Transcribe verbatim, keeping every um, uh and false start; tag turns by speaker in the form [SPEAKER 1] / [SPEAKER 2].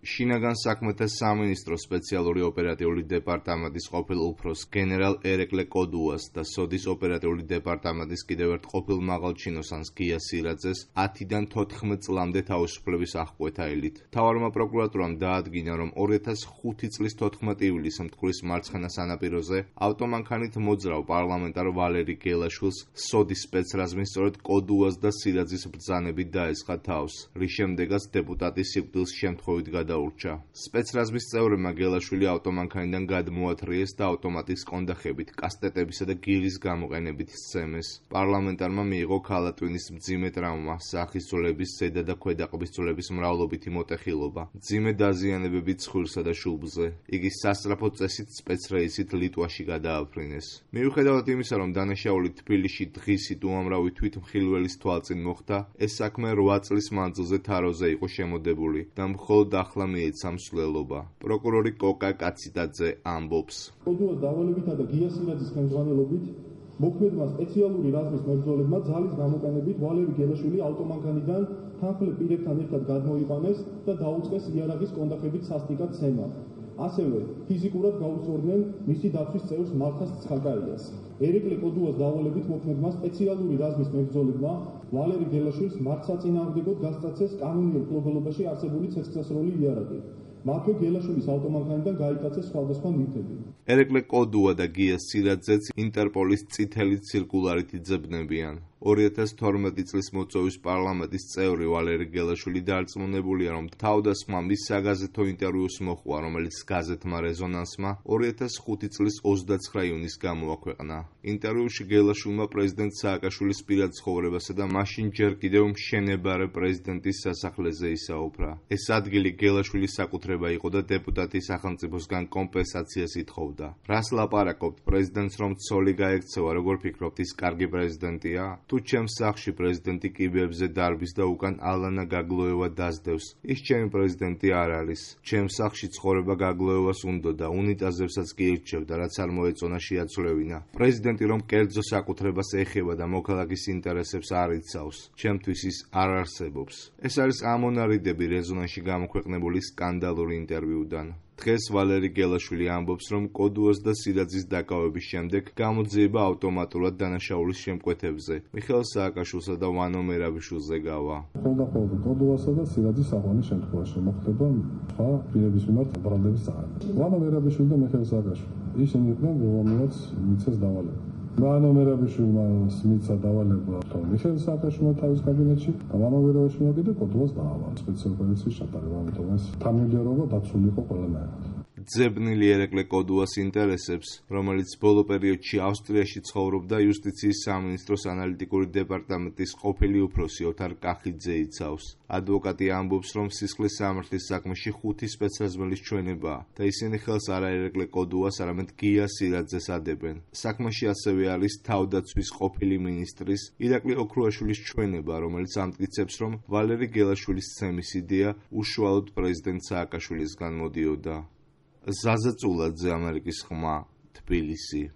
[SPEAKER 1] შინაგან საქმეთა სამინისტროს სპეციალური ოპერატიული დეპარტამენტის ყოფილ უფროს გენერალ ერეკლე კოდუას და სოდის ოპერატიული დეპარტამენტის კიდევ ერთ ყოფილ მაღალჩინოსანს გია სირაძეს ათიდან თოთხმეტ წლამდე თავისუფლების აღკვეთა ელით. მთავარმა პროკურატურამ დაადგინა, რომ ორი ათას ხუთი წლის თოთხმეტ ივლისს მტკვრის მარცხენა სანაპიროზე ავტომანქანით მოძრავ პარლამენტარ ვალერი გელაშვილს სოდის სპეცრაზმი სწორედ კოდუას და სირაძის ბრძანებით დაესხა თავს, რის შემდეგაც დეპუტატის სიკვდილს შემთხვევით გადაურჩა. სპეცრაზმის წევრებმა გელაშვილი ავტომანქანიდან გადმოათრიეს და ავტომატის კონდახებით, კასტეტებისა და გირის გამოყენებით სცემეს. პარლამენტარმა მიიღო ქალატვინის მძიმე ტრავმა, სახის ძვლების, ზედა და ქვედაყბის ძვლების მრავლობითი მოტეხილობა, მძიმე დაზიანებები ცხვირსა და შუბლზე. იგი სასწრაფო წესით სპეცრეისით ლიტვაში გადააფრინეს. მიუხედავად იმისა, რომ დანაშაული თბილისში დღისით უამრავი თვითმხილველის თვალწინ მოხდა, ეს საქმე რვა წლის მანძილზე თაროზე იყო შემოდებული და მხოლოდ ახლა მიეცა მსვლელობა. პროკურორი კოკა კაციდაძე ამბობს.
[SPEAKER 2] კოდუას დავალებითა და გია სირაძის ხელმძღვანელობით მოქმედმა სპეციალური რაზმის მებრძოლებმა ძალის გამოყენებით ვალერი გელაშვილი ავტომანქანიდან თანხმლებ პირებთან ერთად გადმოიყვანეს და დაუწყეს იარაღის კონდახებით სასტიკად ცემა. ასევე ფიზიკურად გაუსწორდნენ მისი დაცვის წევრს მალხას ცხაკაიას. ერეკლე კოდუას დავალებით მოქმედმა სპეციალური რაზმის მებრძოლებმა ვალერი გელაშვილს მართსაწინააღმდეგოდ გასწრაცეს კანონიერ მფლობელობაში არსებული ცეცხლსასროლი იარაღი. მათვე გელაშვილის ავტომანქანიდან გაიტაცეს სხვადასხვა ნივთები.
[SPEAKER 1] ერეკლე კოდუა და გია სირაძეც ინტერპოლის წითელი ცირკულარით იძებნებიან. ორი ათას თორმეტი წლის მოწვევის პარლამენტის წევრი ვალერი გელაშვილი დარწმუნებულია, რომ თავდასხმა მის საგაზეთო ინტერვიუს მოჰყვა, რომელიც გაზეთმა რეზონანსმა ორი ათას ხუთი წლის ოცდაცხრა ივნისს გამოაქვეყნა. ინტერვიუში გელაშვილმა პრეზიდენტ სააკაშვილის პირად ცხოვრებასა და მაშინ ჯერ კიდევ მშენებარე პრეზიდენტის სასახლეზე ისაუბრა. ეს ადგილი გელაშვილის საკუთრება იყო და დეპუტატი სახელმწიფოსგან კომპენსაციას ითხოვდა. რას ლაპარაკობთ, პრეზიდენტს რომ ცოლი გაექცევა, როგორ ფიქრობთ, ის კარგი პრეზიდენტია? თუ ჩემს სახლში პრეზიდენტი კიბეებზე დარბის და უკან ალანა გაგლოევა დასდევს, ის ჩემი პრეზიდენტი არ არის. ჩემს სახლში ცხოვრება გაგლოევას უნდოდა, უნიტაზებსაც კი ირჩევდა, რაც არ მოეწონა შეაცვლევინა. პრეზიდენტი რომ კერძო საკუთრებას ეხება და მოქალაქის ინტერესებს არ იცავს, ჩემთვის ის არ არსებობს. ეს არის ამონარიდები რეზონანსში გამოქვეყნებული სკანდალური ინტერვიუდან. დღეს ვალერი გელაშვილი ამბობს, რომ კოდუას და სირაძის დაკავების შემდეგ გამოძიება ავტომატურად დანაშაულის შემკვეთებზე, მიხეილ სააკაშვილსა და ვანო მერაბიშვილზე გავა.
[SPEAKER 3] ხოლმე კოდუასა და სირაძის აღვანის შემთხვევაში მოხდება სხვა პირების მიმართ ბრალდების წარება. ვანო მერაბიშვილი და მიხეილ სააკაშვილი ისინი იყვნენ, რომელმაც მიცეს დავალება. ვანო მერაბიშვილმა მიცა დავალება მიხეილ სააკაშვილმა თავის კაბინეტში და ვანო მერაბიშვილმა კიდე კოდუას დაავალა სპეციალური ოპერაციის ჩატარება, ამიტომ ეს თანმიმდევრობა დაცული იყო ყველანაირად.
[SPEAKER 1] ძებნილი ერეკლე კოდუას ინტერესებს, რომელიც ბოლო პერიოდში ავსტრიაში ცხოვრობდა, იუსტიციის სამინისტროს ანალიტიკური დეპარტამენტის ყოფილი უფროსი ოთარ კახიძე იცავს. ადვოკატი ამბობს, რომ სისხლის სამართლის საქმეში ხუთი სპეცრაზმელის ჩვენებაა და ისინი ხელს არა ერეკლე კოდუას, არამედ გია სირაძეს ადებენ. საქმეში ასევე არის თავდაცვის ყოფილი მინისტრის ირაკლი ოქრუაშვილის ჩვენება, რომელიც ამტკიცებს, რომ ვალერი გელაშვილის ცემის იდეა უშუალოდ პრეზიდენტ სააკაშვილისგან მოდიოდა. ზაზა წულაძე, ამერიკის ხმა, თბილისი.